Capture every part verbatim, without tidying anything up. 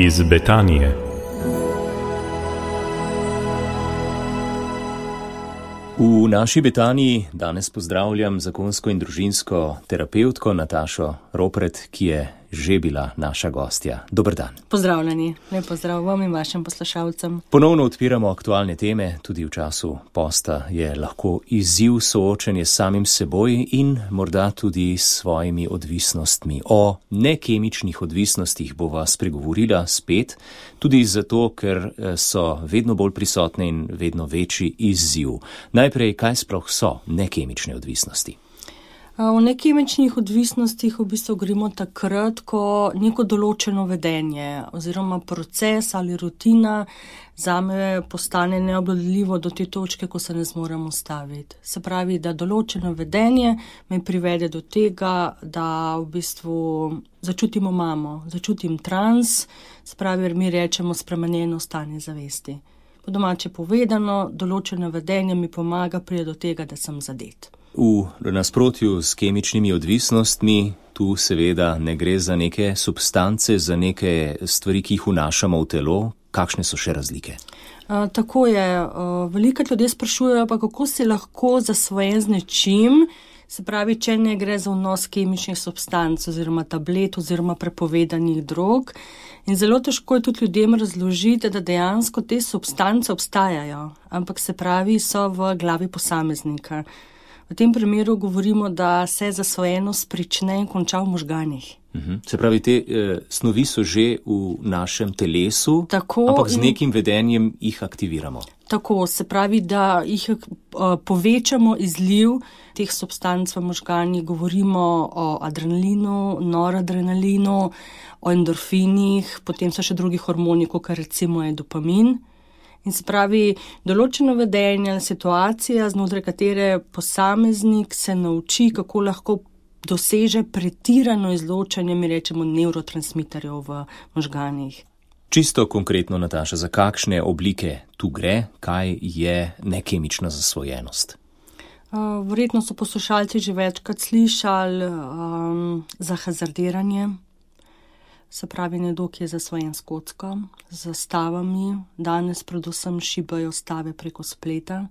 iz Betanije. V naši Betaniji danes pozdravljam zakonsko in družinsko terapevtko Natašo Ropret, ki je že bila naša gostja. Dober dan. Pozdravljeni, lep pozdrav vam in vašim poslušalcem. Ponovno odpiramo aktualne teme, tudi v času posta je lahko izziv soočenje s samim seboj in morda tudi s svojimi odvisnostmi. O nekemičnih odvisnostih bova spregovorila spet, tudi zato, ker so vedno bolj prisotne in vedno večji izziv. Najprej, kaj sploh so nekemične odvisnosti? O nekemičnih odvisnostih v bistvu govorimo takrat, ko neko določeno vedenje oziroma proces ali rutina zame postane neobvladljivo do te točke, ko se ne zmorem ustaviti. Se pravi, da določeno vedenje me privede do tega, da v bistvu začutimo mamo, začutim trans, se pravi, mi rečemo spremenjeno stanje zavesti. Po domače povedano, določeno vedenje mi pomaga priti do tega, da sem zadet. V nasprotju s kemičnimi odvisnostmi, tu seveda ne gre za neke substance, za neke stvari, ki jih vnašamo v telo. Kakšne so še razlike? A, tako je. Veliko ljudi sprašujejo, pa kako si lahko zasvojen z nečim, se pravi, če ne gre za vnos kemičnih substanc oziroma tablet oziroma prepovedanih drog. In zelo težko je tudi ljudem razložiti, da dejansko te substance obstajajo, ampak se pravi, so v glavi posameznika. V tem primeru govorimo, da se zasvojenost prične in konča v možganih. Uhum. Se pravi, te eh, snovi so že v našem telesu, tako, ampak z nekim vedenjem jih aktiviramo. Tako, se pravi, da jih uh, povečamo izliv teh substanc v možganih. Govorimo o adrenalinu, noradrenalinu, o endorfinih, potem so še drugi hormoni, kot recimo je dopamin. In se pravi, določeno vedenje ali situacija, znotraj katere posameznik se nauči, kako lahko doseže pretirano izločanje, mi rečemo, nevrotransmiterjev v možganih. Čisto konkretno, Nataša, za kakšne oblike tu gre, kaj je nekemična zasvojenost? Uh, verjetno so poslušalci že večkrat slišali um, za hazardiranje. Se pravi, nekdo, ki je zasvojen s kocko, z zastavami, danes predvsem šibajo stave preko spleta,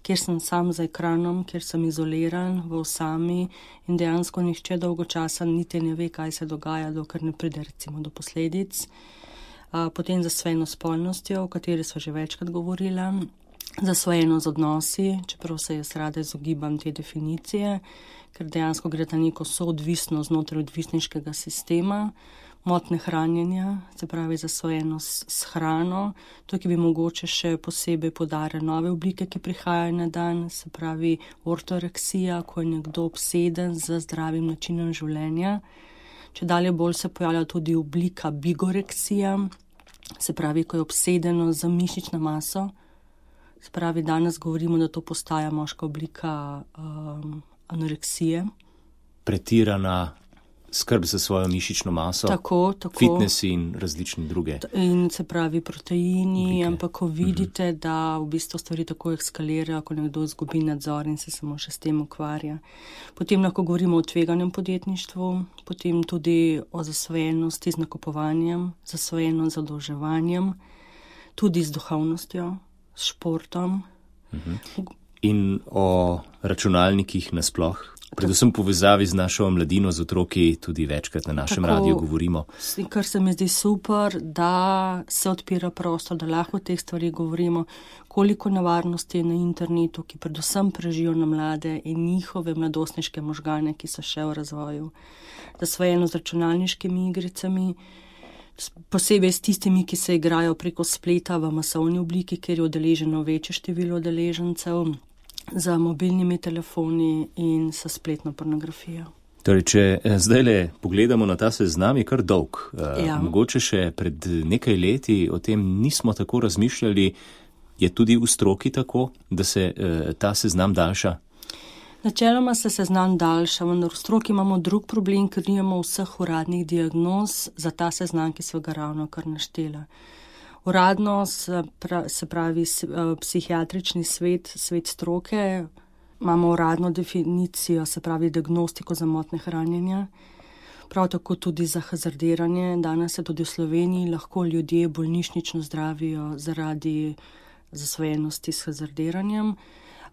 kjer sem sam za ekranom, kjer sem izoliran v osami in dejansko nihče dolgo časa niti ne ve, kaj se dogaja, dokler ne pride recimo do posledic. Potem zasvojeno s spolnostjo, o kateri so že večkrat govorila, zasvojeno z odnosi, čeprav se jaz rada izogibam te definicije, ker dejansko gre za neko soodvisnost znotraj odvisniškega sistema, motnje hranjenja, se pravi zasvojenost s hrano, tukaj bi mogoče še posebej poudarjali nove oblike, ki prihajajo na dan, se pravi ortoreksija, ko je nekdo obseden z zdravim načinom življenja. Če dalje bolj se pojavlja tudi oblika bigoreksija, se pravi, ko je obsedeno z mišično maso, se pravi, danes govorimo, da to postaja moška oblika um, anoreksije. Pretirana skrb za svojo mišično maso, tako, tako. Fitnesi in različne druge. In se pravi proteini, oblike. Ampak ko vidite, uh-huh. da v bistvu stvari tako ekskalirajo, ko nekdo izgubi nadzor in se samo še s tem ukvarja. Potem lahko govorimo o tveganem podjetništvu, potem tudi o zasvojenosti z nakupovanjem, zasvojenost z zadolževanjem, tudi z duhovnostjo, s športom. Uh-huh. In o računalnikih nasploh? Predvsem povezavi z našo mladino, z otroki, tudi večkrat na našem Tako, radiju govorimo. Kar se mi zdi super, da se odpira prostor, da lahko o teh stvari govorimo, koliko nevarnosti je na internetu, ki predvsem prežijo na mlade in njihove mladostniške možgane, ki so še v razvoju. Zasvojeno z računalniškimi igricami, posebej s tistimi, ki se igrajo preko spleta v masovni obliki, kjer je udeleženo večje število udeležencev, za mobilnimi telefoni in sa spletno pornografijo. Torej, če zdaj le pogledamo na ta seznam, je kar dolg. Ja. Mogoče še pred nekaj leti o tem nismo tako razmišljali. Je tudi v stroki tako, da se ta seznam daljša? Načeloma se seznam daljša, vendar v stroki imamo drug problem, ker nimamo vseh uradnih diagnoz za ta seznam, ki so ga ravno kar naštela. Uradno se pravi psihiatrični svet, svet stroke, imamo uradno definicijo, se pravi diagnostiko za motnje hranjenja. prav tako tudi za hazardiranje. Danes se tudi v Sloveniji lahko ljudje bolnišnično zdravijo zaradi zasvojenosti s hazardiranjem.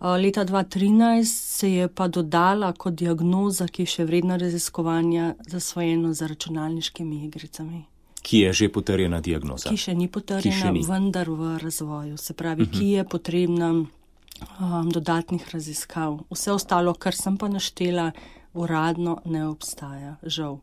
Leta dva tisoč trinajst se je pa dodala kot diagnoza, ki je še vredna raziskovanja, zasvojenost za računalniškimi igricami. Ki je že potrjena diagnoza? Ki še ni potrjena, še ni. Vendar v razvoju. Se pravi, uh-huh. ki je potrebna um, dodatnih raziskav. Vse ostalo, kar sem pa naštela, uradno ne obstaja, žal.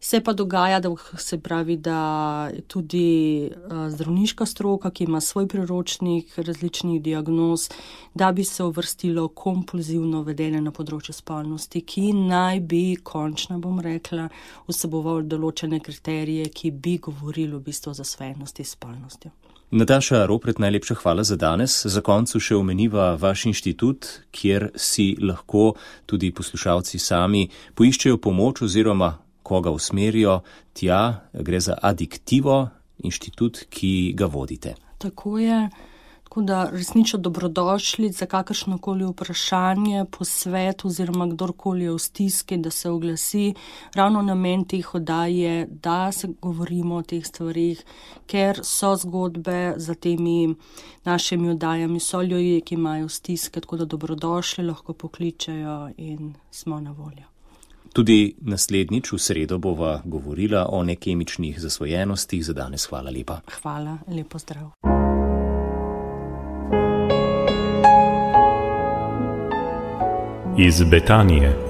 Se pa dogaja, da se pravi, da tudi uh, zdravniška stroka, ki ima svoj priročnik različnih diagnoz, da bi se uvrstilo kompulzivno vedenje na področju spolnosti, ki naj bi, končno bom rekla, vseboval določene kriterije, ki bi govorili v bistvu o zasvojenosti s spolnostjo. Nataša Ropret, najlepša hvala za danes. Za koncu še omeniva vaš inštitut, kjer si lahko tudi poslušalci sami poiščejo pomoč oziroma koga usmerijo tja. Gre za Addictivo, inštitut, ki ga vodite. Tako je. Tako da resnično dobrodošli za kakršnokoli vprašanje, posvet oziroma kdorkoli je v stiski, da se oglasi. Ravno namen teh oddaj je, da se govorimo o teh stvarih, ker so zgodbe za temi našimi oddajami, so ljudje, ki imajo stiske, tako da dobrodošli, lahko pokličejo in smo na voljo. Tudi naslednjič v sredo bova govorila o nekemičnih zasvojenostih. Za danes hvala lepa. Hvala, lepo zdrav. Iz Betanije.